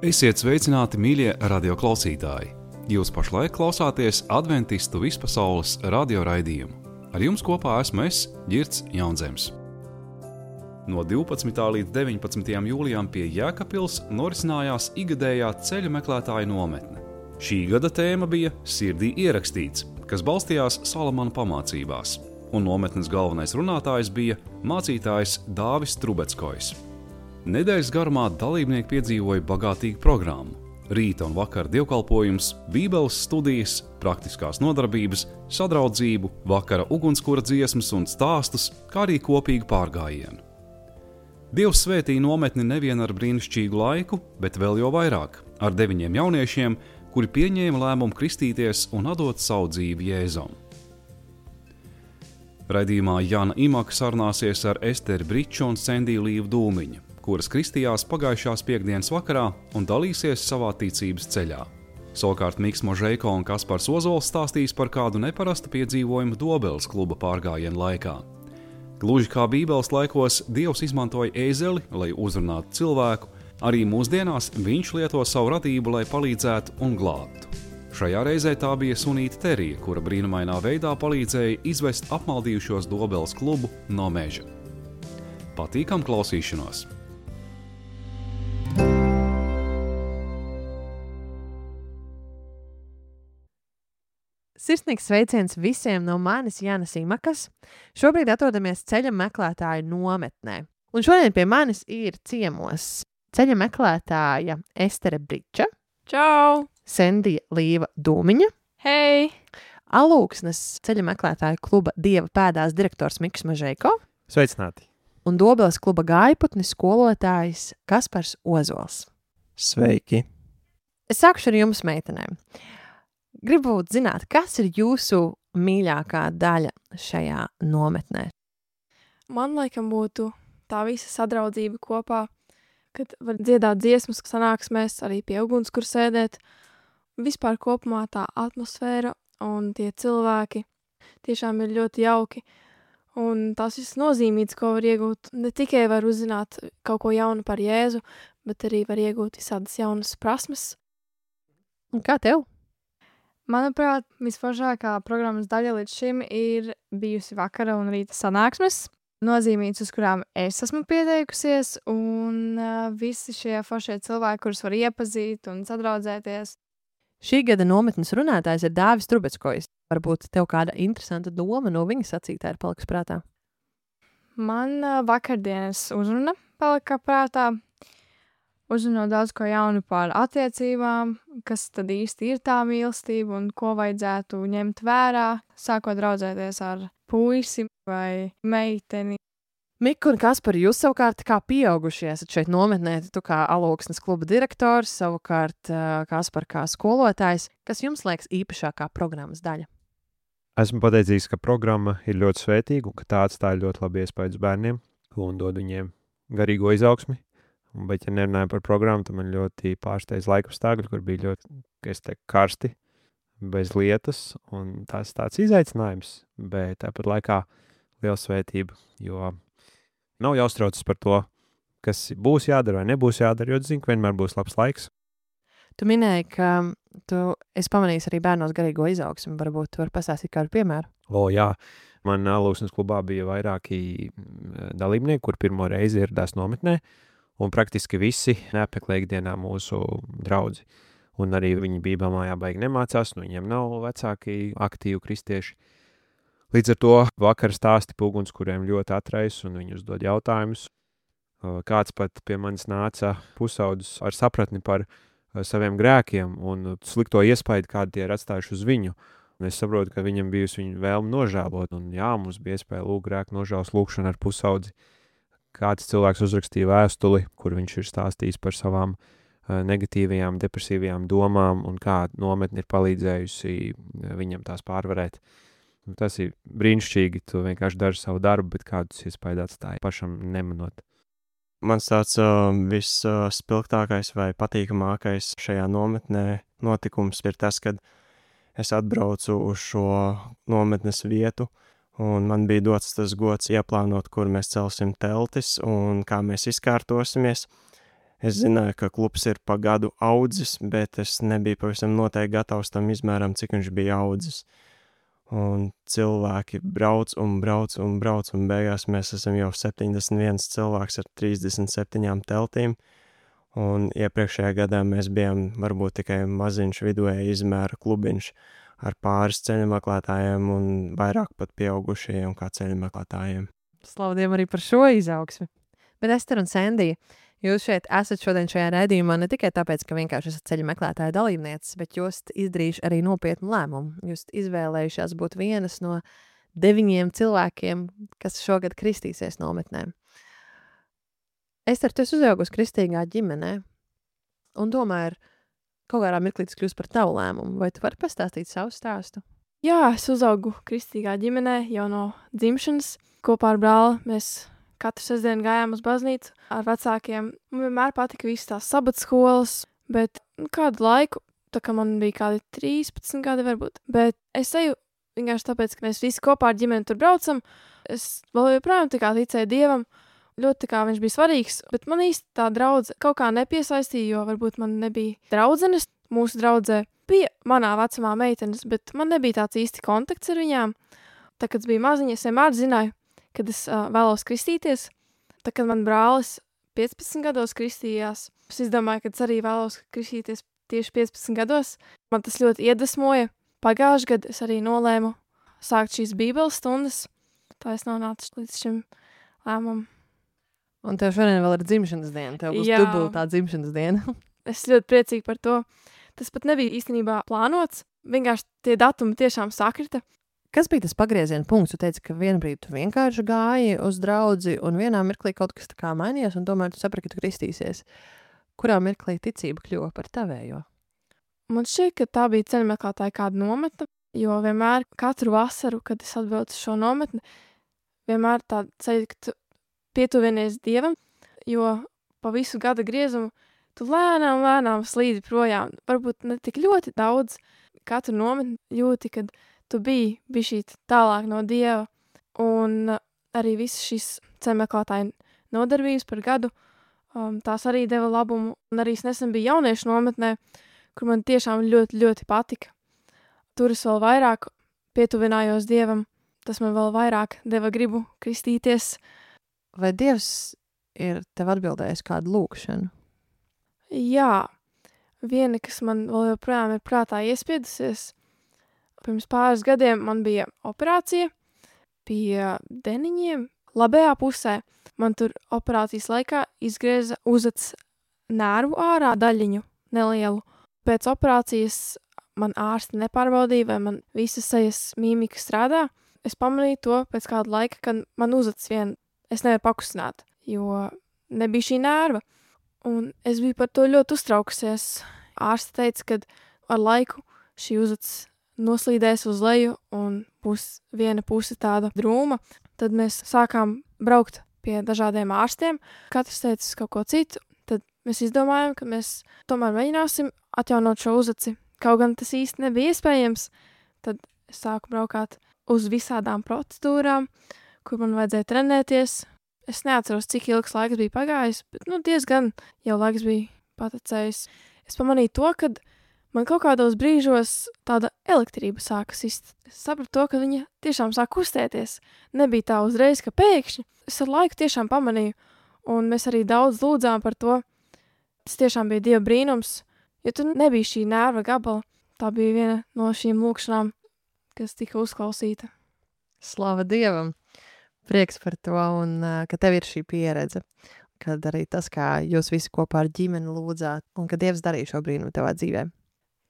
Esiet sveicināti, mīļie radioklausītāji! Jūs pašlaik klausāties Adventistu vispasaules radio raidījumu. Ar jums kopā esmu es, Ģirds Jaunzems. No 12. līdz 19. jūlijam pie Jēkabpils norisinājās igadējā ceļu meklētāju nometne. Šī gada tēma bija Sirdī ierakstīts, kas balstījās Salamana pamācībās, un nometnes galvenais runātājs bija mācītājs Dāvis Trubeckojs. Nedēļas garumā dalībnieki piedzīvoja bagātīgu programmu. Rīta un vakara dievkalpojums, bībeles studijas, praktiskās nodarbības, sadraudzību, vakara ugunskura dziesmas un stāstus, kā arī kopīgu pārgājienu. Dievs svētīja nometni nevien ar brīnišķīgu laiku, bet vēl jo vairāk ar 9 jauniešiem, kuri pieņēma lēmumu kristīties un atdot savu dzīvi Jēzum. Raidījumā Jana Imaka sarunāsies ar Esteri Briču un Sendiju Līvu Dūmiņu, kuras kristījās pagājušās piektdienas vakarā un dalīsies savā ticības ceļā. Savukārt Miks Možeiko un Kaspars Ozols stāstīs par kādu neparastu piedzīvojumu Dobeles kluba pārgājienu laikā. Gluži kā Bībeles laikos Dievs izmantoja ēzeli, lai uzrunātu cilvēku, arī mūsdienās viņš lieto savu radību, lai palīdzētu un glābtu. Šajā reizē tā bija sunīta Terija, kura brīnumainā veidā palīdzēja izvest apmaldījušos Dobeles klubu no meža. Patīkam klausīšanos! Sirsnīgs sveiciens visiem no manis Jānas Imakas. Šobrīd atrodamies ceļa meklētāju nometnē. Un šodien pie manis ir ciemos ceļa meklētāja Estere Briča. Čau! Sendija Līva Dūmiņa. Hei! Alūksnes ceļa meklētāju kluba Dieva pēdās direktors Miks Možeiko. Sveicināti! Un Dobeles kluba gājputnis skolotājs Kaspars Ozols. Sveiki! Es sākušu ar jums, meitenēm. Gribu zināt, kas ir jūsu mīļākā daļa šajā nometnē? Man laikam būtu tā visa sadraudzība kopā, kad var dziedāt dziesmas sanāksmēs, arī pie ugunskura sēdēt. Vispār kopumā tā atmosfēra un tie cilvēki tiešām ir ļoti jauki. Un tās visas nozīmītas, ko var iegūt, ne tikai var uzzināt kaut ko jaunu par Jēzu, bet arī var iegūt visādas jaunas prasmes. Un kā tev? Manuprāt, visforšākā programmas daļa līdz šim ir bijusi vakara un rīta sanāksmes, nozīmītas, uz kurām es esmu pieteikusies, un visi šie foršie cilvēki, kurus var iepazīt un sadraudzēties. Šī gada nometnes runātājs ir Dāvis Trubeckojs. Varbūt tev kāda interesanta doma no viņa sacītā ir palikusi prātā? Man vakardienas uzruna palika prātā. Uzzinot daudz ko jaunu par attiecībām, kas tad īsti ir tā mīlestība un ko vajadzētu ņemt vērā, sākot draudzēties ar puisi vai meiteni. Mika un Kaspar, jūs savukārt kā pieaugušie esat šeit nometnē, tu kā Alūksnes kluba direktors, savukārt Kaspar kā skolotājs. Kas jums liekas īpašākā programmas daļa? Esmu pateicīgs, ka programma ir ļoti svētīga un ka tā atstāja ļoti labi iespēju uz bērniem un dod viņiem garīgo izaugsmi. Bet, ja nerunāju par programmu, tad man ļoti pārsteidz laikapstākļi, kur bija ļoti, karsti, bez lietas, un tas tāds izaicinājums, bet tāpat laikā liela svētība, jo nav jāuztraucas par to, kas būs jādara vai nebūs jādara, jo zinu, ka vienmēr būs labs laiks. Tu minēji, ka esi pamanījis arī bērnos garīgo izaugsmi, varbūt tu vari pastāstīt kādu piemēru? Jā, man Alūksnes klubā bija vairāki dalībnieki, kur pirmo reizi ieradās nometnē, un praktiski visi neapmeklē ikdienā mūsu draudzi. Un arī viņi bībelmājā baigi nemācās, viņiem nav vecāki aktīvi kristieši. Līdz ar to vakar stāsti pūguns, kuriem ļoti atrais, un viņi uzdod jautājumus. Kāds pat pie manis nāca pusaudzis ar sapratni par saviem grēkiem un slikto iespaidu, kādu tie ir atstājuši uz viņu. Un es saprotu, ka viņam bijusi viņa vēlme nožēlot, un mums bija iespēja lūgt grēku nožēlas lūgšanu ar pusaudzi. Kāds cilvēks uzrakstīja vēstuli, kur viņš ir stāstījis par savām negatīvajām, depresīvajām domām un kā nometne ir palīdzējusi viņam tās pārvarēt. Tas ir brīnišķīgi, tu vienkārši dari savu darbu, bet kādus iespēju atstāja pašam nemanot. Mans tāds visspilgtākais vai patīkamākais šajā nometnē notikums ir tas, kad es atbraucu uz šo nometnes vietu, un man bija dots tas gods ieplānot, kur mēs celsim teltis un kā mēs izkārtosimies. Es zināju, ka klubs ir pa gadu audzis, bet es nebiju pavisam noteikti gatavs tam izmēram, cik viņš bija audzis. Un cilvēki brauc un beigās mēs esam jau 71 cilvēks ar 37 teltīm. Un iepriekšējā gadā mēs bijām varbūt tikai maziņš vidēja izmēra klubiņš ar pāris ceļameklētājiem un vairāk pat pieaugušajiem kā ceļameklētājiem. Slavdiem arī par šo izaugsmi. Bet Ester un Sandija, jūs šeit esat šodien šajā raidījumā ne tikai tāpēc, ka vienkārši esat ceļa meklētāja dalībnieces, bet jūs izdarījuši arī nopietnu lēmumu. Jūs izvēlējušās būt vienas no 9 cilvēkiem, kas šogad kristīsies nometnēm. Ester, tu esi uzaugusi kristīgā ģimenē, un tomēr kaut kādā mirklī tas kļūst par tavu lēmumu. Vai tu vari pastāstīt savu stāstu? Jā, es uzaugu kristīgā ģimenē jau no dzimšanas. Kopā ar brāli mēs katru sestdienu gājām uz baznīcu ar vecākiem. Man vienmēr patika visas tās sabata skolas, bet kādu laiku, tā kā man bija kādi 13 gadi varbūt, bet es eju vienkārši tāpēc, ka mēs visi kopā ar ģimeni tur braucam. Es vēl joprojām tā kā ticēju Dievam, ļoti tā kā viņš bija svarīgs, bet man īsti tā draudze kaut kā nepiesaistīja, jo varbūt man nebija draudzenes. Mūsu draudzē bija manā vecumā meitenes, bet man nebija tāds īsti kontakts ar viņām. Tā, kad es biju maziņa, es vienmēr zināju, kad es vēlos kristīties. Tā, kad man brālis 15 gados kristījās, es izdomāju, ka es arī vēlos kristīties tieši 15 gados. Man tas ļoti iedvesmoja. Pagājušajā gadā es arī nolēmu sākt šīs bībeles stundas. Tā es nonācu līdz šim lēmumam. Un tev šodien vēl ir dzimšanas diena. Tev būs dubultā dzimšanas diena. Es ļoti priecīgi par to. Tas pat nebija īstenībā plānots. Vienkārši tie datumi tiešām sakrita. Kas bija tas pagrieziena punkts? Tu teici, ka vienā brīdī tu vienkārši gāji uz draudzi, un vienā mirklī kaut kas tā kā mainījās, un tomēr tu saprati, ka tu kristīsies. Kurā mirklī ticība kļuva par tavējo? Man šķiet, ka tā bija ceļmeklētāja kāda nometne, jo vienmēr katru vasaru, kad es atbraucu uz šo nometni, vienmēr tā ceļa, ka tu pietuvinies Dievam, jo pa visu gada griezumu tu lēnām slīdi projām. Varbūt ne tik ļoti daudz katru nometni jūti, kad tu biji bišķīt tālāk no Dieva. Un arī visas šīs ceļmeklētāju nodarbības par gadu, tās arī deva labumu. Un arī es nesen biju jauniešu nometnē, kur man tiešām ļoti, ļoti patika. Tur es vēl vairāk pietuvinājos Dievam. Tas man vēl vairāk deva gribu kristīties. Vai Dievs ir tev atbildējis kādu lūkšanu? Jā, viena, kas man vēl joprojām ir prātā iespiedusies. Pirms pāris gadiem man bija operācija pie deniņiem labajā pusē. Man tur operācijas laikā izgrieza uzads nervu ārā daļiņu nelielu. Pēc operācijas man ārsti nepārbaudīja, vai man visas sejas mīmika strādā. Es pamanīju to pēc kāda laika, kad man uzads es nevaru pakustināt, jo nebija šī nerva. Un es biju par to ļoti uztraukusies. Ārsti teica, ka ar laiku šī uzads noslīdēs uz leju un būs viena puse tāda drūma. Tad mēs sākām braukt pie dažādiem ārstiem. Katrs teica kaut ko citu. Tad mēs izdomājām, ka mēs tomēr mēģināsim atjaunot šo uzaci. Kaut gan tas īsti nebija iespējams. Tad es sāku braukāt uz visādām procedūrām, kur man vajadzēja trenēties. Es neatceros, cik ilgs laiks bija pagājis, bet diezgan jau laiks bija patecējis. Es pamanīju to, ka man kaut kādos brīžos tāda elektrība sāka sist. Es sapratu to, ka viņa tiešām sāk kustēties. Nebija tā uzreiz, ka pēkšņi. Es ar laiku tiešām pamanīju, un mēs arī daudz lūdzām par to. Tas tiešām bija Dieva brīnums, jo tur nebija šī nerva gabala. Tā bija viena no šīm lūkšanām, kas tika uzklausīta. Slava Dievam! Prieks par to, un ka tev ir šī pieredze. Kad arī tas, kā jūs visi kopā ar ģimeni lūdzāt, un ka Dievs darīja šo brīnumu tavā dzīvē.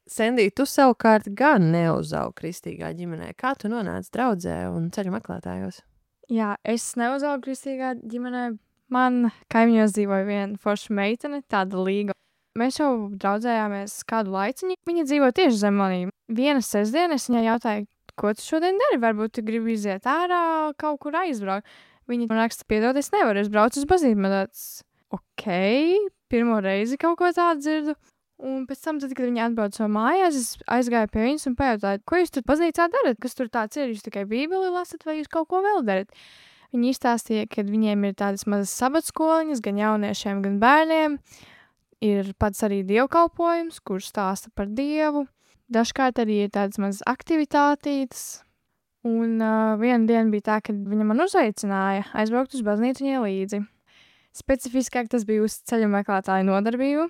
Sandija, tu savukārt gan neuzaugi kristīgā ģimenē. Kā tu nonāci draudzē un ceļu meklētājos? Jā, es neuzaugu kristīgā ģimenē. Man kaimiņos dzīvoja viena forša meitene, tāda līga. Mēs jau draudzējāmies kādu laiciņu. Viņa dzīvo tieši zem manīm. Viena sestdiena es viņai jautāju, ko tu šodien dari? Varbūt tu gribi iziet ārā, kaut kur aizbraukt. Viņa man raksta, piedod, es nevaru, es braucu uz baznīcu. Man tāds, pirmo reizi kaut ko tādu dzirdu. Un pēc tam, kad viņi atbrauca no mājās, es aizgāju pie viņas un pajautāju, ko jūs tur baznīcā darat? Kas tur tāds ir? Jūs tikai bībeli lasat vai jūs kaut ko vēl darat? Viņi izstāstīja, ka viņiem ir tādas mazas sabatskoliņas, gan jauniešiem, gan bērniem. ir pats arī dievkalpojums, kurš stāsta par Dievu. Dažkārt arī ir tādas mazas aktivitātītes. Un viena diena bija tā, kad viņa man uzaicināja aizbraukt uz baznīcu viņai līdzi. Specifiskāk tas bija uz ceļu meklētāju nodarbību.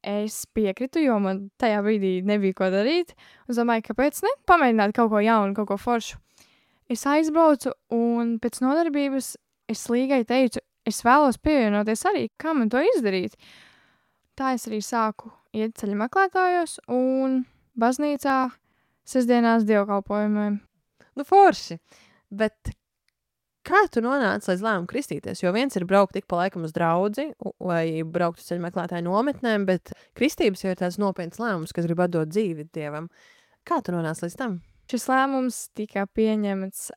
Es piekritu, jo man tajā brīdī nebija ko darīt. Es domāju, kāpēc ne? Pamēģināt kaut ko jaunu, kaut ko foršu. Es aizbraucu un pēc nodarbības es līgai teicu, es vēlos pievienoties arī, kā man to izdarīt. Tā es arī sāku iet ceļu meklētājos un baznīcā sestdienās dievkalpojumiem. Nu, forši. Bet kā tu nonāci līdz lēmumu kristīties? Jo viens ir braukt ik pa laikam uz draudzi vai braukt uz ceļu meklētāju nometnēm, bet kristības jau ir tāds nopietns lēmums, kas grib atdot dzīvi Dievam. Kā tu nonāci līdz tam? Šis lēmums tika pieņemts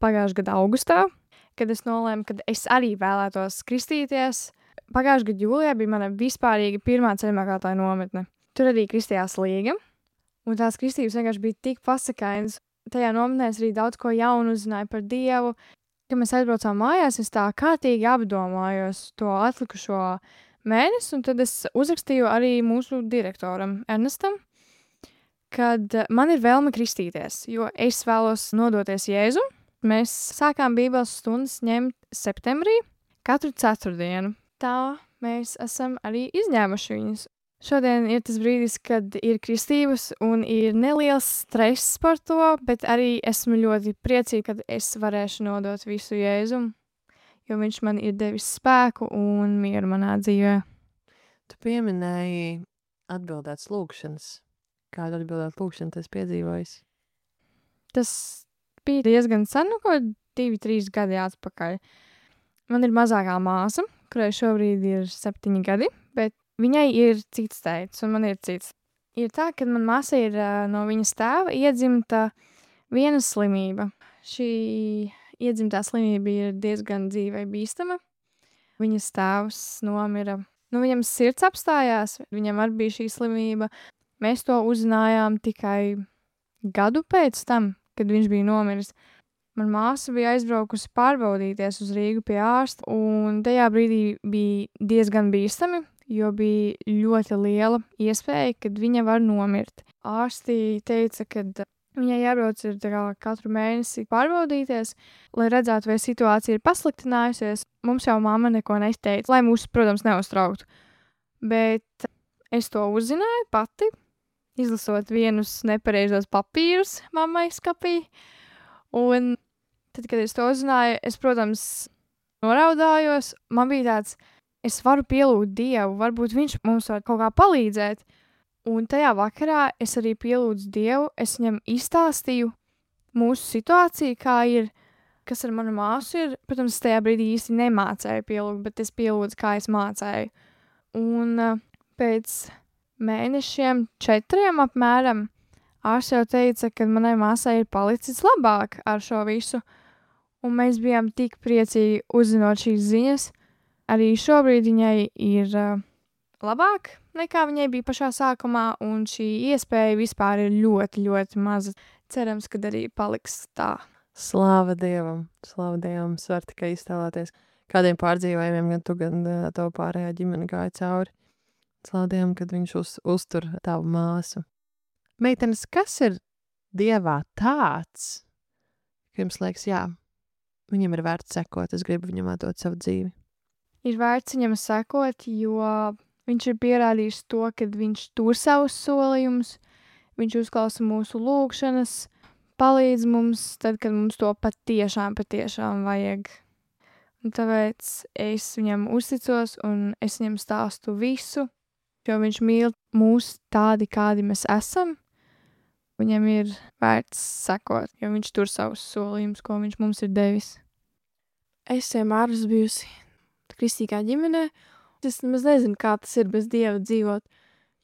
pagājušā gada augustā, kad es nolēmu, ka es arī vēlētos kristīties. Pagājušā gada jūlijā bija mana vispārīga pirmā ceļu meklētāju nometne. Tur arī kristījās līga, un tās kristības vienkārši bija tik pasakainas. Tajā nometnē es arī daudz ko jaunu uzzināju par Dievu. Kad mēs aizbraucām mājās, es tā kārtīgi apdomājos to atlikušo mēnesi, un tad es uzrakstīju arī mūsu direktoram Ernestam, kad man ir vēlme kristīties, jo es vēlos nodoties Jēzu. Mēs sākām bībeles stundas ņemt septembrī katru ceturtdienu. Tā mēs esam arī izņēmuši viņus. Šodien ir tas brīdis, kad ir kristības un ir neliels stress par to, bet arī esmu ļoti priecīga, kad es varēšu nodot visu Jēzum, jo viņš man ir devis spēku un mieru manā dzīvē. Tu pieminēji atbildētas lūkšanas. Kādu atbildētu lūkšanu tas piedzīvojis? Tas bija diezgan sen, ko 2-3 gadi atpakaļ. Man ir mazākā māsa, kurai šobrīd ir 7 gadi, bet viņai ir cits teicis, un man ir cits. Ir tā, ka man māsa ir no viņas tēva iedzimta viena slimība. Šī iedzimtā slimība ir diezgan dzīvei bīstama. Viņas tēvs nomira. Viņam sirds apstājās, viņam arī bija šī slimība. Mēs to uzzinājām tikai gadu pēc tam, kad viņš bija nomiris. Man māsa bija aizbraukusi pārbaudīties uz Rīgu pie ārsta, un tajā brīdī bija diezgan bīstami, jo bija ļoti liela iespēja, ka viņa var nomirt. Ārsti teica, ka viņai jābrauc katru mēnesi pārbaudīties, lai redzētu, vai situācija ir pasliktinājusies. Mums jau mamma neko neteica, lai mūs, protams, neuztrauktu. Bet es to uzzināju pati, izlasot vienus nepareizos papīrus mammai skapī. Un tad, kad es to uzzināju, es, protams, noraudājos. Man bija tāds, es varu pielūgt Dievu, varbūt viņš mums var kaut kā palīdzēt. Un tajā vakarā es arī pielūdzu Dievu, es viņam izstāstīju mūsu situāciju, kā ir, kas ar manu māsu ir. Protams, es tajā brīdī īsti nemācēju pielūgt, bet es pielūdzu, kā es mācēju. Un pēc mēnešiem 4 apmēram ārsts jau teica, ka manai māsai ir palicis labāk ar šo visu. Un mēs bijām tik priecīgi uzzinot šīs ziņas. Arī šobrīd viņai ir labāk nekā viņai bija pašā sākumā, un šī iespēja vispār ir ļoti, ļoti maza. Cerams, ka arī paliks tā. Slāva Dievam! Slāva Dievam! Es varu tikai iztēloties, kādiem pārdzīvojumiem gan tu, gan tavu pārējā ģimene gāja cauri. Slāva Dievam, kad viņš uztur tavu māsu. Meitenes, kas ir Dievā tāds, ka jums liekas, jā, viņam ir vērts sekot, es gribu viņam atdot savu dzīvi? Ir vērts viņam sekot, jo viņš ir pierādījis to, ka viņš tur savus solījumus, viņš uzklausa mūsu lūgšanas, palīdz mums tad, kad mums to patiešām vajag. Un tāpēc es viņam uzticos un es viņam stāstu visu, jo viņš mīl mūs tādi, kādi mēs esam. Viņam ir vērts sekot, jo viņš tur savus solījumus, ko viņš mums ir devis. Es vienmēr esmu bijusi kristīgā ģimenē. Es nemaz nezinu, kā tas ir bez Dieva dzīvot,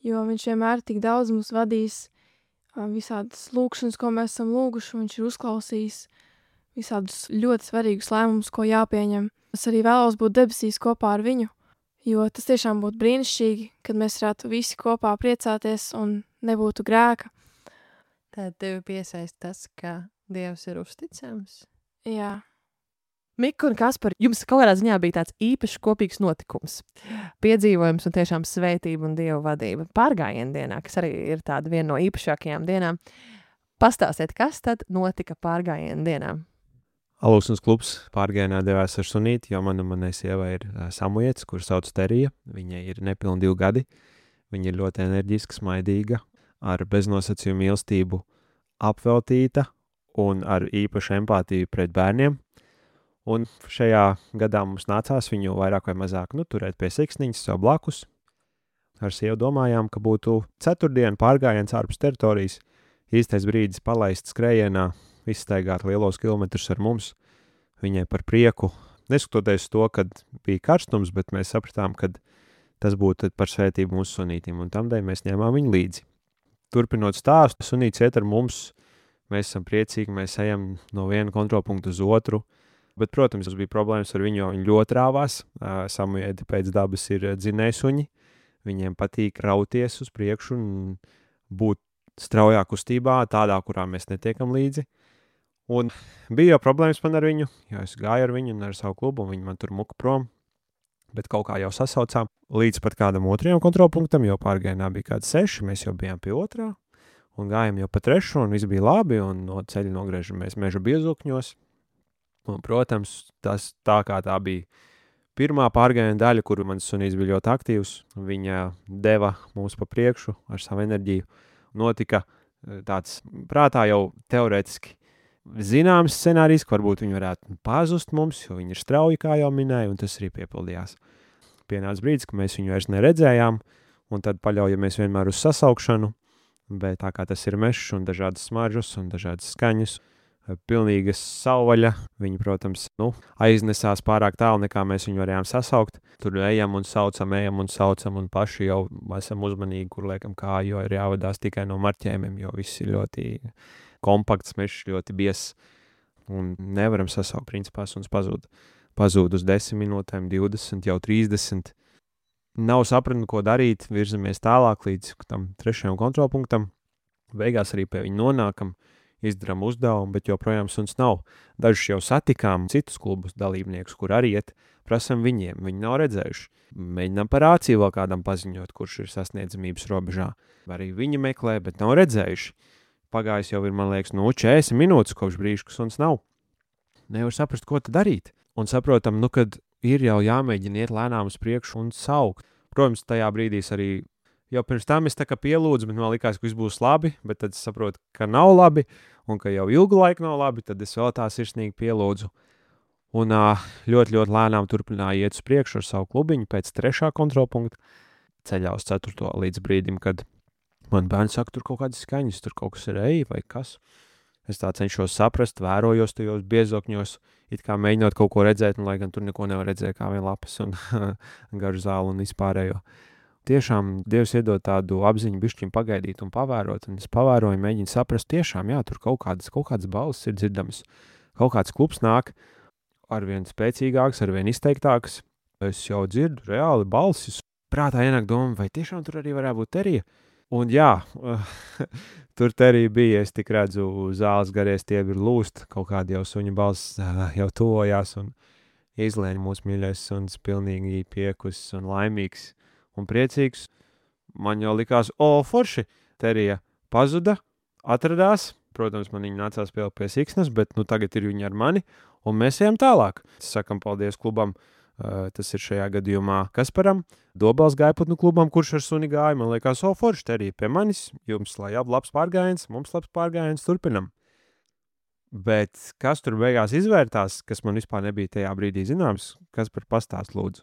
jo viņš vienmēr tik daudz mums vadīs, visādas lūkšanas, ko mēs esam lūguši, viņš ir uzklausījis visādus ļoti svarīgus lēmumus, ko jāpieņem. Es arī vēlos būt debesīs kopā ar viņu, jo tas tiešām būtu brīnišķīgi, kad mēs varētu visi kopā priecāties un nebūtu grēka. Tad tevi piesaist tas, ka Dievs ir uzticams? Jā. Mika un Kaspar, jums kaut kādā ziņā bija tāds īpašs kopīgs notikums. Piedzīvojums un tiešām svētība un Dieva vadība. Pārgājienu dienā, kas arī ir tāda viena no īpašākajām dienām. Pastāstiet, kas tad notika pārgājienu dienā? Alūksnes klubs pārgājienā devās ar sunīti, jo manai sievai ir samujets, kur sauc Terija. Viņai ir nepilni 2 gadi. Viņa ir ļoti enerģiska, smaidīga, ar beznosacījumu mīlestību apveltīta un ar īpašu empātiju pret bērniem. Un šajā gadā mums nācās viņu vairāk vai mazāk turēt pie siksniņas sev blakus. Ar sievu domājām, ka būtu ceturtdiena pārgājiens ārpus teritorijas, īstais brīdis palaist skrējienā, izstaigāt lielos kilometrus ar mums, viņai par prieku. Neskatoties to, kad bija karstums, bet mēs sapratām, ka tas būtu par svētību mūsu sunītim, un tamdēļ mēs ņēmām viņu līdzi. Turpinot stāstu, sunīts iet ar mums, mēs esam priecīgi, mēs ejam no viena kontrolpunkta uz otru, bet, protams, tas bija problēmas ar viņu, jo viņi ļoti rāvās. Samujēdi pēc dabas ir dzinējsuņi, viņiem patīk rauties uz priekšu un būt straujā kustībā, tādā, kurā mēs netiekam līdzi. Un bija jau problēmas man ar viņu, jo es gāju ar viņu un ar savu klubu, un viņi man tur muka prom, bet kaut kā jau sasaucām līdz pat kādam otrajam kontrolpunktam, jo pārgājienā bija kādi 6, mēs jau bijām pie otrā, un gājām jau pa 3, un viss bija labi, un no ceļa nogriežamies meža biezokņos. Un, protams, tas tā kā tā bija pirmā pārgājiena daļa, kuru mans sunīts bija ļoti aktīvs, viņa deva mūs pa priekšu ar savu enerģiju. Notika tāds prātā jau teorētiski zināms scenārijs, ka varbūt viņi varētu pazust mums, jo viņi ir strauji, kā jau minēju, un tas arī piepildījās. Pienāca brīdis, ka mēs viņu vairs neredzējām, un tad paļaujamies vienmēr uz sasaukšanu, bet tā kā tas ir mežs un dažādas smaržas un dažādas skaņas, pilnīgas savvaļa, viņi, protams, aiznesās pārāk tālu, nekā mēs viņu varējām sasaukt. Tur ejam un saucam, un paši jau esam uzmanīgi, kur liekam kāju, jo ir jāvadās tikai no marķējumiem, jo viss ir ļoti kompakts mežs, ļoti biezs, un nevaram sasaukt principā, un pazūd uz 10 minūtēm, 20, jau 30. Nav sapratni, ko darīt, virzamies tālāk līdz tam 3. kontrolpunktam. Beigās arī pie viņa nonākam, izdarām uzdevumu, bet joprojām suns nav. Dažus jau satikām citus klubus dalībniekus, kur arī iet, prasam viņiem, viņi nav redzējuši. Mēģinām par rāciju vēl kādam paziņot, kurš ir sasniedzamības robežā. Arī viņi meklē, bet nav redzējuši. Pagājis jau ir, man liekas, 40 minūtes kopš brīža, ka suns nav. Nevar saprast, ko tad darīt. Un saprotam, kad ir jau jāmēģina iet lēnām uz priekšu un saukt. Protams, tajā brīdīs arī jau pirms tam es tā kā pielūdzu, bet man likās, ka viss būs labi, bet tad es saprotu, ka nav labi, un ka jau ilgu laiku nav labi, tad es vēl tā sirsnīgi pielūdzu. Un ļoti, ļoti lēnām turpināju iet uz priekšu ar savu klubiņu pēc 3. kontrolpunkta, ceļā uz 4. līdz brīdim, kad man bērns saka, tur kaut kādas skaņas, tur kaut kas ir vai kas. Es tā cenšos saprast, vērojos tajos biezokņos, it kā mēģinot kaut ko redzēt, un lai gan tur neko nevar redzēt, kā vien lapas un garu zāli un vispārējo. Tiešām Dievs iedod tādu apziņu bišķiņ pagaidīt un pavērot, un es pavēroju, mēģinu saprast, tiešām, jā, tur kaut kādas balsis ir dzirdamas. Kaut kāds klubs nāk, arvien spēcīgāks, arvien izteiktāks. Es jau dzirdu reāli balsis. Prātā ienāk doma, vai tiešām tur arī varētu būt Terija? Un jā, tur Terija bija, es tik redzu, zāles garie stiebi ir lūst, kaut kādi jau suņa balss jau tuvojās, un izlēņ mūsu mīļais suns pilnīgi piekusis un laimīgs un priecīgs. Man jau likās, forši, Terija pazuda, atradās. Protams, man viņa nācās pie siksnas, bet tagad ir viņa ar mani, un mēs ejam tālāk. Sakam paldies klubam, tas ir šajā gadījumā Kasparam, Dobels gaiputnu klubam, kurš ar suni gāja. Man liekas, forši, Terija pie manis, jums lai labs pārgājiens, mums labs pārgājiens, turpinam. Bet kas tur beigās izvērtās, kas man vispār nebija tajā brīdī zināms, Kaspar pastāst lūdzu.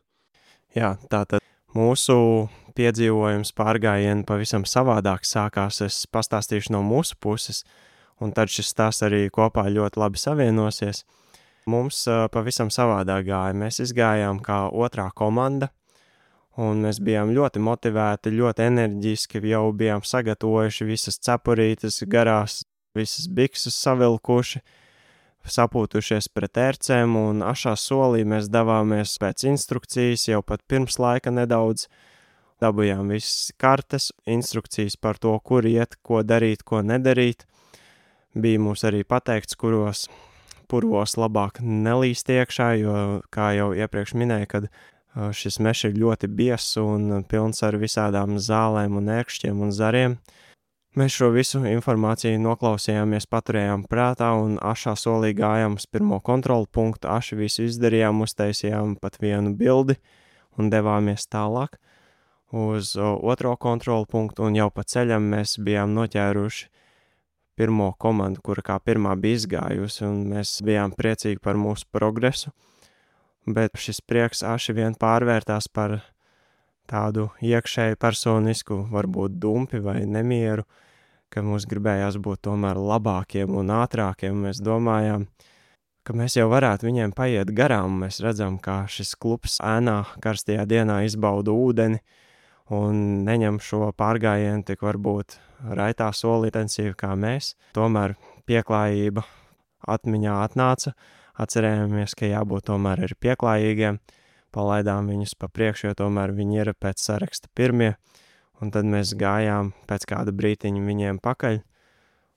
Jā, tātad mūsu piedzīvojums pārgājienu pavisam savādāk sākās, es pastāstīšu no mūsu puses, un tad šis stāsts arī kopā ļoti labi savienosies. Mums pavisam savādāk gāja, mēs izgājām kā otrā komanda, un mēs bijām ļoti motivēti, ļoti enerģiski, jau bijām sagatavojuši visas cepurītes garās, visas bikses savilkuši, sapūtušies pret ērcēm, un ašā solī mēs devāmies pēc instrukcijas, jau pat pirms laika nedaudz. Dabujām visas kartes, instrukcijas par to, kur iet, ko darīt, ko nedarīt. Bija mums arī pateikts, kuros purvos labāk nelīst iekšā, jo, kā jau iepriekš minēju, kad šis mežs ir ļoti biezs un pilns ar visādām zālēm un ērkšķiem un zariem. Mēs šo visu informāciju noklausījāmies, paturējām prātā un ašā solī gājām uz pirmo kontrolu punktu, aši visu izdarījām, uztaisījām pat vienu bildi un devāmies tālāk uz otro kontrolu punktu, un jau pa ceļam mēs bijām noķēruši pirmo komandu, kura kā pirmā bija izgājusi, un mēs bijām priecīgi par mūsu progresu, bet šis prieks aši vien pārvērtās par tādu iekšēju personisku, varbūt dumpi vai nemieru, ka mums gribējās būt tomēr labākiem un ātrākiem. Mēs domājām, ka mēs jau varētu viņiem paiet garām. Mēs redzam, kā šis klubs ēnā karstajā dienā izbauda ūdeni un neņem šo pārgājienu tik varbūt raitā soli intensīvi kā mēs. Tomēr pieklājība atmiņā atnāca. Atcerējāmies, ka jābūt tomēr ir pieklājīgiem. Palaidām viņus pa priekšu, jo tomēr viņi ir pēc saraksta pirmie. Un tad mēs gājām pēc kāda brītiņa viņiem pakaļ.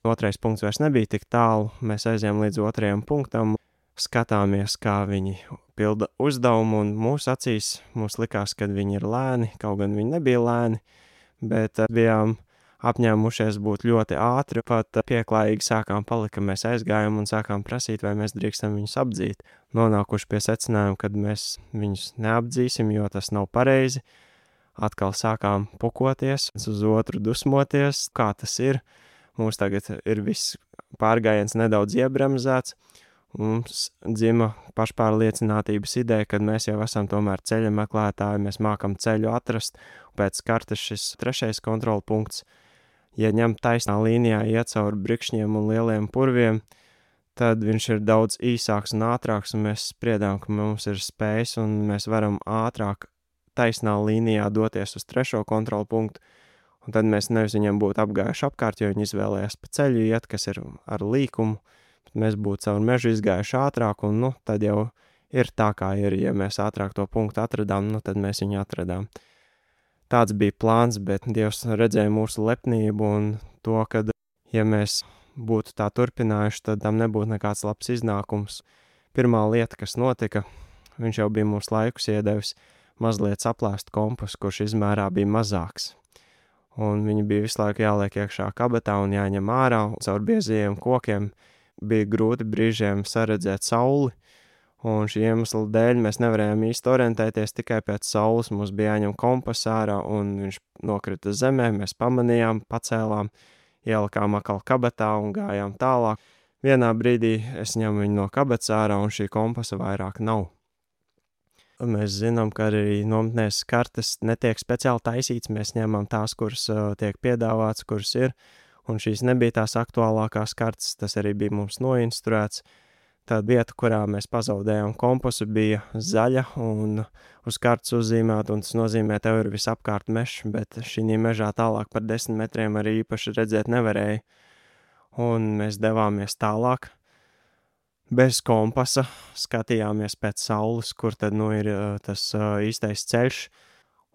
Otrais punkts vairs nebija tik tālu. Mēs aizējām līdz otrajam punktam. Skatāmies, kā viņi pilda uzdevumu, un mūsu acīs mums likās, ka viņi ir lēni. Kaut gan viņi nebija lēni, bet bijām apņēmušies būt ļoti ātri. Pat pieklājīgi sākām palikt, ka mēs aizgājām un sākām prasīt, vai mēs drīkstam viņus apdzīt. Nonākuši pie secinājuma, kad mēs viņus neapdzīsim, jo tas nav pareizi. Atkal sākām pukoties, uz otru dusmoties, kā tas ir. Mums tagad ir viss pārgājiens nedaudz iebremzēts. Mums dzima pašpārliecinātības ideja, kad mēs jau esam tomēr ceļa meklētāji, mēs mākam ceļu atrast. Pēc kartes šis trešais kontrola punkts, ja ņem taisnā līnijā iet cauri brikšņiem un lieliem purviem, tad viņš ir daudz īsāks un ātrāks, un mēs spriedām, ka mums ir spējas un mēs varam ātrāk taisnā līnijā doties uz trešo kontrola punktu, un tad mēs nevis viņam būtu apgājuši apkārt, jo viņi izvēlējās pa ceļu iet, kas ir ar līkumu, bet mēs būtu caur mežu izgājuši ātrāk, un tad jau ir tā, kā ir. Ja mēs ātrāk to punktu atradām, tad mēs viņu atradām. Tāds bija plāns, bet Dievs redzēja mūsu lepnību un to, ka, ja mēs būtu tā turpinājuši, tad tam nebūtu nekāds labs iznākums. Pirmā lieta, kas notika, viņš jau bija mums laikus iedevis mazliet saplēst kompasu, kurš izmērā bija mazāks. Un viņi bija visu laiku jāliek iekšā kabatā un jāņem ārā, caur biezajiem kokiem bija grūti brīžiem saredzēt sauli, un šī iemesla dēļ mēs nevarējām īsti orientēties tikai pēc saules. Mums bija jāņem kompas ārā, un viņš nokrita zemē, mēs pamanījām, pacēlām, ielikām atkal kabatā un gājām tālāk. Vienā brīdī es ņemu viņu no kabatas ārā, un šī kompasa vairāk nav. Mēs zinām, ka arī nometnēs kartes netiek speciāli taisīts, mēs ņemam tās, kuras tiek piedāvāts, kuras ir, un šīs nebija tās aktuālākās kartes, tas arī bija mums noinstruēts. Tā vieta, kurā mēs pazaudējām kompasu, bija zaļa un uz kartes uzzīmēta, un tas nozīmē, tev ir visapkārt mežs, bet šī mežā tālāk par 10 metriem arī īpaši redzēt nevarēja. Un mēs devāmies tālāk. Bez kompasa skatījāmies pēc saules, kur tad ir tas īstais ceļš,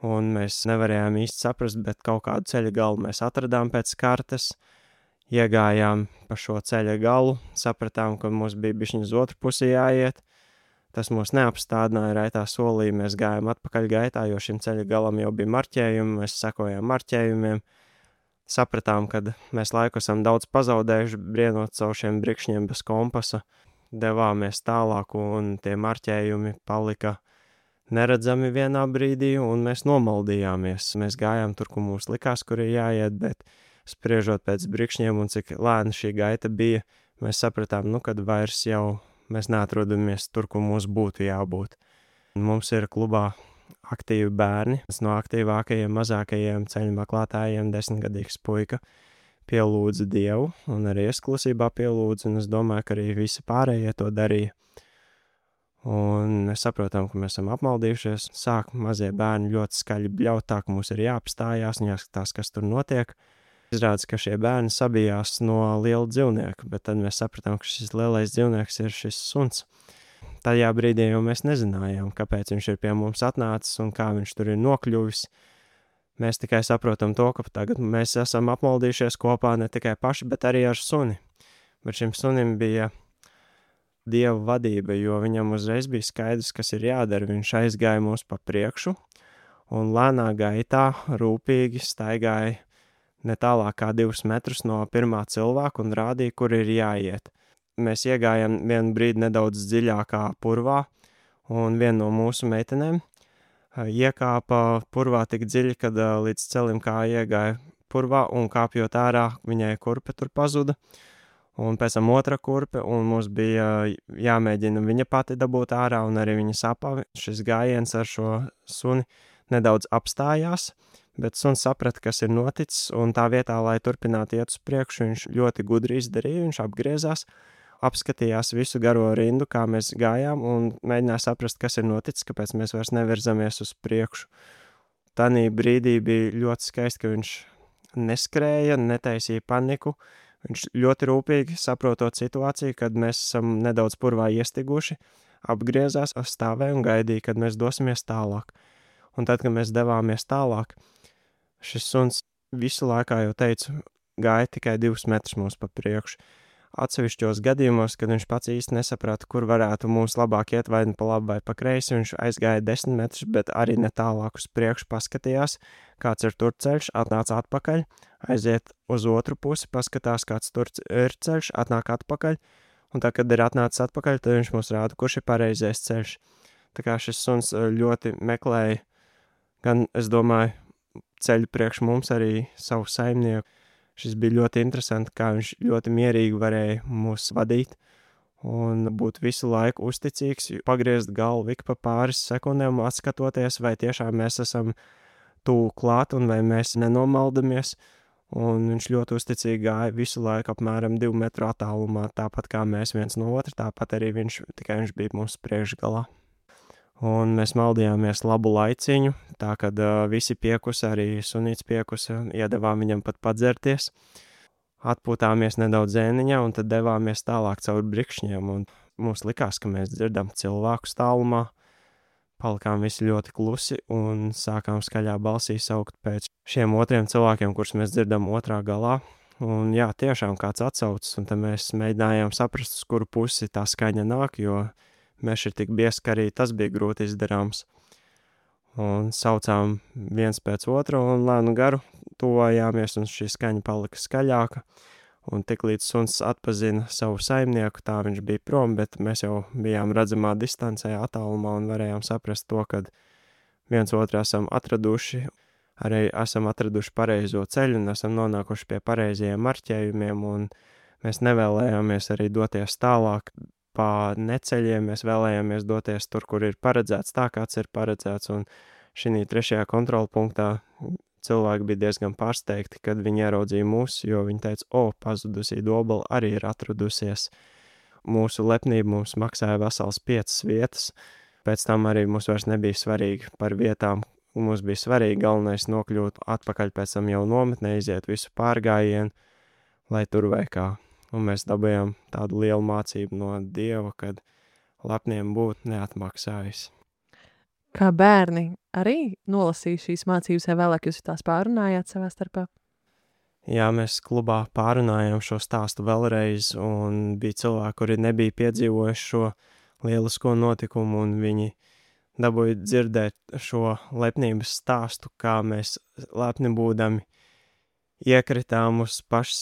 un mēs nevarējām īsti saprast, bet kaut kādu ceļa galu mēs atradām pēc kartes. Iegājām pa šo ceļa galu, sapratām, ka mums bija bišķiņ uz otru pusi jāiet. Tas mūs neapstādināja raitā solī, mēs gājām atpakaļ gaitā, jo šim ceļa galam jau bija marķējumi, mēs sekojām marķējumiem. Sapratām, ka mēs laiku esam daudz pazaudējuši, brienot caur šiem brikšņiem bez kompasa. Devāmies tālāk, un tie marķējumi palika neredzami vienā brīdī, un mēs nomaldījāmies. Mēs gājām tur, kur mums likās, kur ir jāiet, bet spriežot pēc brikšņiem un cik lēna šī gaita bija, mēs sapratām, kad vairs jau mēs neatrodamies tur, kur mums būtu jābūt. Mums ir klubā aktīvi bērni, no aktīvākajiem, mazākajiem ceļu meklētājiem 10-gadīgs puika pielūdza Dievu, un arī es klusībā pielūdzu, un es domāju, ka arī visi pārējie to darīja. Un mēs saprotam, ka mēs esam apmaldījušies, sāk mazie bērni ļoti skaļi bļaut tā, ka mums ir jāapstājās un jāskatās, kas tur notiek. Izrādās, ka šie bērni sabijās no liela dzīvnieka, bet tad mēs sapratām, ka šis lielais dzīvnieks ir šis suns. Tajā brīdī jau mēs nezinājām, kāpēc viņš ir pie mums atnācis un kā viņš tur ir nokļuvis. Mēs tikai saprotam to, ka tagad mēs esam apmaldījušies kopā ne tikai paši, bet arī ar suni. Bet šim sunim bija Dieva vadība, jo viņam uzreiz bija skaidrs, kas ir jādara. Viņš aizgāja mūs pa priekšu un lēnā gaitā rūpīgi staigāja ne tālāk kā 2 metrus no pirmā cilvēka un rādīja, kur ir jāiet. Mēs iegājām vienu brīdi nedaudz dziļākā purvā, un viena no mūsu meitenēm iekāpa purvā tik dziļi, kad līdz celim kā iegāja purvā, un kāpjot ārā, viņai kurpe tur pazuda. Un pēc tam otra kurpe, un mums bija jāmēģina viņa pati dabūt ārā, un arī viņa sapava. Šis gājiens ar šo suni nedaudz apstājās, bet suns saprata, kas ir noticis, un tā vietā, lai turpinātu iet uz priekšu, viņš ļoti gudri izdarīja, viņš apgriezās, apskatījās visu garo rindu, kā mēs gājām, un mēģināja saprast, kas ir noticis, kāpēc mēs vairs nevirzamies uz priekšu. Tanī brīdī bija ļoti skaisti, ka viņš neskrēja, netaisīja paniku. Viņš ļoti rūpīgi saprotot situāciju, kad mēs esam nedaudz purvā iestiguši, apgriezās, stāvēja un gaidīja, kad mēs dosimies tālāk. Un tad, kad mēs devāmies tālāk, šis suns visu laikā jau teica, gāja tikai 2 metrus mums pa priekšu. Atsevišķos gadījumos, kad viņš pats īsti nesaprata, kur varētu mums labāk iet vai pa labi vai pa kreisi, viņš aizgāja 10 metrus, bet arī ne tālāk uz priekšu paskatījās, kāds ir tur ceļš, atnāca atpakaļ, aiziet uz otru pusi, paskatās, kāds tur ir ceļš, atnāk atpakaļ, un tā, kad ir atnācis atpakaļ, tad viņš mums rāda, kurš ir pareizais ceļš. Tā kā šis suns ļoti meklēja, gan, es domāju, ceļu priekš mums arī savu saimnieku. Šis bija ļoti interesanti, kā viņš ļoti mierīgi varēja mūs vadīt un būt visu laiku uzticīgs, pagriezt galvu ik pa pāris sekundēm, atskatoties, vai tiešām mēs esam tuvu klāt un vai mēs nenomaldamies. Un viņš ļoti uzticīgi gāja visu laiku apmēram 2 metru attālumā, tāpat kā mēs viens no otra, tāpat arī viņš bija mums priekšgalā. Un mēs maldījāmies labu laiciņu, tā kad visi piekusa, arī sunīts piekusa, iedevām viņam pat padzerties. Atpūtāmies nedaudz zēniņā un tad devāmies tālāk caur brikšņiem, un mums likās, ka mēs dzirdam cilvēkus tālumā. Palikām visi ļoti klusi un sākām skaļā balsī saukt pēc šiem otriem cilvēkiem, kurus mēs dzirdam otrā galā. Un jā, tiešām kāds atsaucas, un tad mēs mēģinājām saprast, uz kuru pusi tā skaņa nāk, jo mēs ir tik biezi, ka arī tas bija grūti izdarāms. Un saucām viens pēc otra un lēnu garu tuvojāmies, un šī skaņa palika skaļāka. Un tik līdz suns atpazina savu saimnieku, tā viņš bija prom, bet mēs jau bijām redzamā distancē attālumā un varējām saprast to, kad viens otru esam atraduši, arī esam atraduši pareizo ceļu un esam nonākuši pie pareizajiem marķējumiem, un mēs nevēlējāmies arī doties tālāk pa neceļiem, mēs vēlējāmies doties tur, kur ir paredzēts tā, kāds ir paredzēts, un šī 3. kontrola punktā cilvēki bija diezgan pārsteigti, kad viņi ieraudzīja mūs, jo viņi teica, pazudusī dobala arī ir atradusies. Mūsu lepnība mums maksāja vesels 5 vietas, pēc tam arī mums vairs nebija svarīgi par vietām, mums bija svarīgi galvenais nokļūt atpakaļ pēc tam jau nometnē, iziet visu pārgājienu, lai tur vai kā. Un mēs dabējām tādu lielu mācību no Dieva, kad lepniem būt neatmaksājis. Kā bērni arī nolasīja šīs mācības, vai vēlāk jūs tās pārunājāt savā starpā? Jā, mēs klubā pārunājām šo stāstu vēlreiz, un bija cilvēki, kuri nebija piedzīvojuši šo lielisko notikumu, un viņi dabūja dzirdēt šo lepnības stāstu, kā mēs lepni būdami iekritām uz paši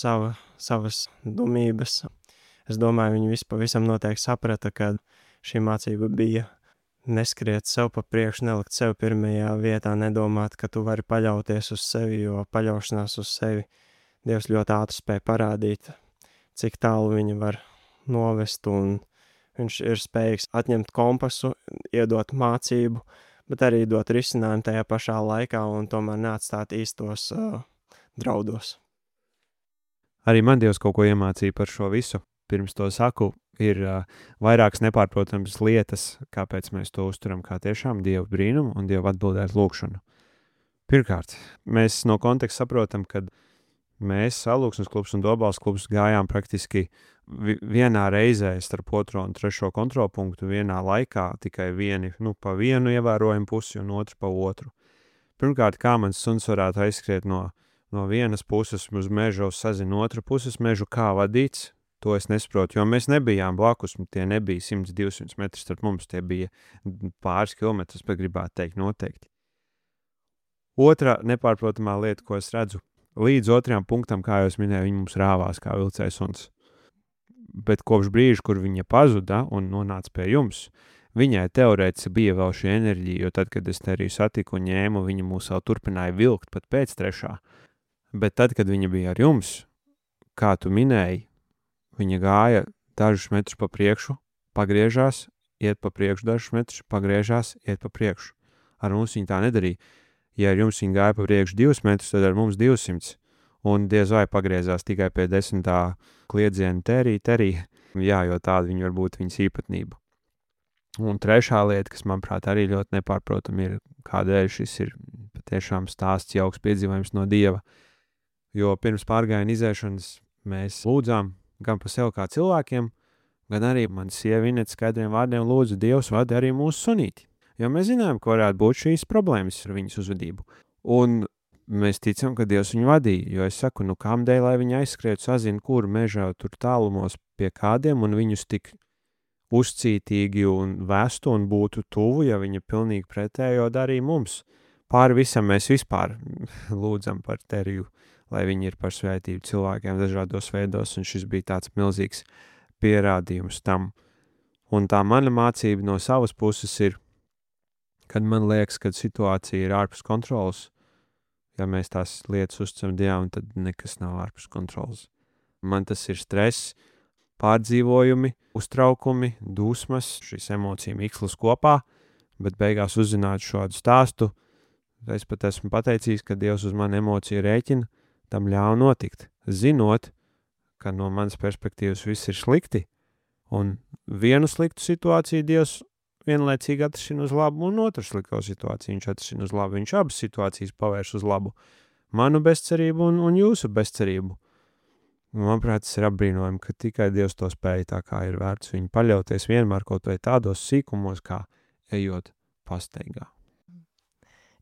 savas dumības. Es domāju, viņi visi pavisam noteikti saprata, ka šī mācība bija neskriet sev pa priekšu, nelikt sev pirmajā vietā, nedomāt, ka tu vari paļauties uz sevi, jo paļaušanās uz sevi Dievs ļoti ātri spēja parādīt, cik tālu viņi var novest, un viņš ir spējīgs atņemt kompasu, iedot mācību, bet arī dot risinājumu tajā pašā laikā un tomēr neatstāt īstos draudos. Arī man Dievs kaut ko iemācīja par šo visu. Pirms to saku, ir vairākas nepārprotams lietas, kāpēc mēs to uzturam kā tiešām Dieva brīnumu un Dieva atbildēt lūgšanu. Pirmkārt, mēs no konteksta saprotam, ka mēs Alūksnes klubs un Dobals klubs gājām praktiski vienā reizē starp 2. un 3. kontrolpunktu vienā laikā, tikai pa vienu ievērojumu pusi un otru pa otru. Pirmkārt, kā mans suns varētu aizskriet no vienas puses uz mežu, sazina otru puses mežu, kā vadīts, To es nesaprotu, jo mēs nebijām blakus, tie nebija 100-200 metri starp mums, tie bija pāris kilometrus, bet gribētu teikt noteikti. Otra nepārprotamā lieta, ko es redzu, līdz otrajam punktam, kā jau es minēju, viņi mums rāvās kā vilcējs suns. Bet kopš brīža, kur viņa pazuda un nonāca pie jums, viņai teorētiski bija vēl šī enerģija, jo tad, kad es te arī satiku un ņēmu, viņa mūs vēl turpināja vilkt pat pēc trešā. Bet tad, kad viņa bija ar jums, kā tu minēji, viņa gāja dažus metrus pa priekšu, pagriežās, iet pa priekšu dažus metrus, pagriežās, iet pa priekšu. Ar mums viņa tā nedarīja. Ja ar jums viņa gāja pa priekšu 2 metrus, tad ar mums 200. Un diez vai pagriezās tikai pie 10. kliedziena terī. Jā, jo tāda viņa var būt viņas īpatnība. Un trešā lieta, kas manuprāt arī ļoti nepārprotam, ir kādēļ šis ir patiešām stāsts jauks piedzīvojums no Dieva. Jo pirms pārgājiena izēšanas mēs lūdzām gan par sev kā cilvēkiem, gan arī man sieva Inete skaidriem vārdiem lūdzu Dievs vadi arī mūsu sunīti. Jo mēs zinām, ka varētu būt šīs problēmas ar viņas uzvedību. Un mēs ticam, ka Dievs viņu vadīja, jo es saku, kādēļ, lai viņi aizskrētu sazina, kur mežā tur tālumos pie kādiem un viņus tik uzcītīgi un vestu un būtu tuvu, ja viņa pilnīgi pretējo darīja mums. Pāri visam mēs vispār lūdzam par Teriju, lai viņi ir par svētību cilvēkiem dažādos veidos, un šis bija tāds milzīgs pierādījums tam. Un tā mana mācība no savas puses ir, kad man liekas, ka situācija ir ārpus kontrolas, ja mēs tās lietas uzticam Dievam, tad nekas nav ārpus kontrolas. Man tas ir stress, pārdzīvojumi, uztraukumi, dusmas, šīs emociju mikslis kopā, bet beigās uzzināt šādu stāstu, es pat esmu pateicījis, ka Dievs uz mani emociju rēķina, tam ļauj notikt, zinot, ka no manas perspektīvas viss ir slikti, un vienu sliktu situāciju Dievs vienlaicīgi atrisina uz labu, un otru slikto situāciju viņš atrisina uz labu. Viņš abas situācijas pavērš uz labu. Manu bezcerību un jūsu bezcerību. Manuprāt, tas ir apbrīnojami, ka tikai Dievs to spēja, tā kā ir vērts viņu paļauties vienmēr kaut vai tādos sīkumos, kā ejot pasteigā.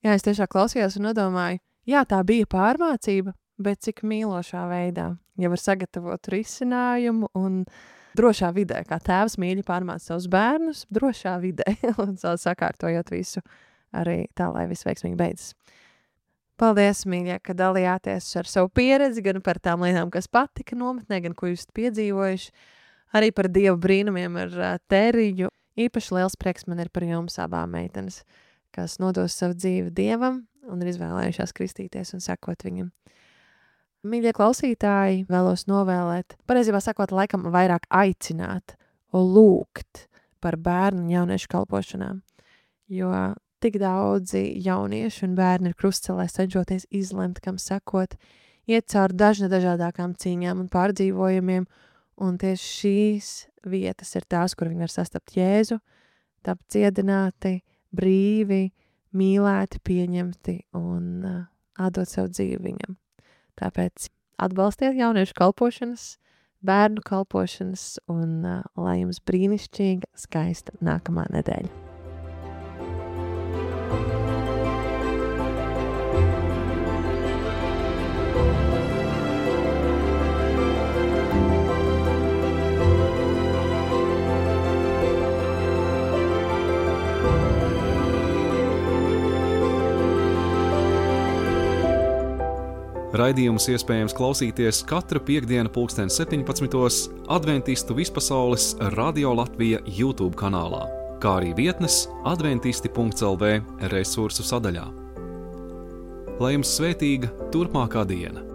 Jā, es tiešām klausījos un nodomāju, jā, tā bija pārmācība, bet cik mīlošā veidā. Ja var sagatavot risinājumu un drošā vidē, kā tēvs mīļi pārmāca savus bērnus, drošā vidē, un sakārtojot visu arī tā, lai viss veiksmīgi beidzas. Paldies, mīļie, ka dalījāties ar savu pieredzi, gan par tām lietām, kas patika nometnē, gan ko jūs piedzīvojuši, arī par Dieva brīnumiem ar Teriju. Īpaši liels prieks man ir par jums abām meitenes, kas nodos savu dzīvi Dievam un ir izvēlējušās kristīties un sekot viņam. Mīļie klausītāji, vēlos novēlēt, pareizībā sakot, laikam vairāk aicināt un lūgt par bērnu un jauniešu kalpošanām, jo tik daudzi jaunieši un bērni ir krustcelē cenšoties izlemt, kam sekot, iet cauri dažādākām cīņām un pārdzīvojumiem, un tieši šīs vietas ir tās, kur viņi var sastapt Jēzu, tapt dziedināti, brīvi, mīlēti, pieņemti un atdot savu dzīvi viņam. Tāpēc atbalstiet jauniešu kalpošanas, bērnu kalpošanas un lai jums brīnišķīga, skaista nākamā nedēļa. Raidījumus iespējams klausīties katru piektdienu 17:00 Adventistu vispasaules Radio Latvija YouTube kanālā, kā arī vietnes adventisti.lv resursu sadaļā. Lai jums svētīga turpmākā diena!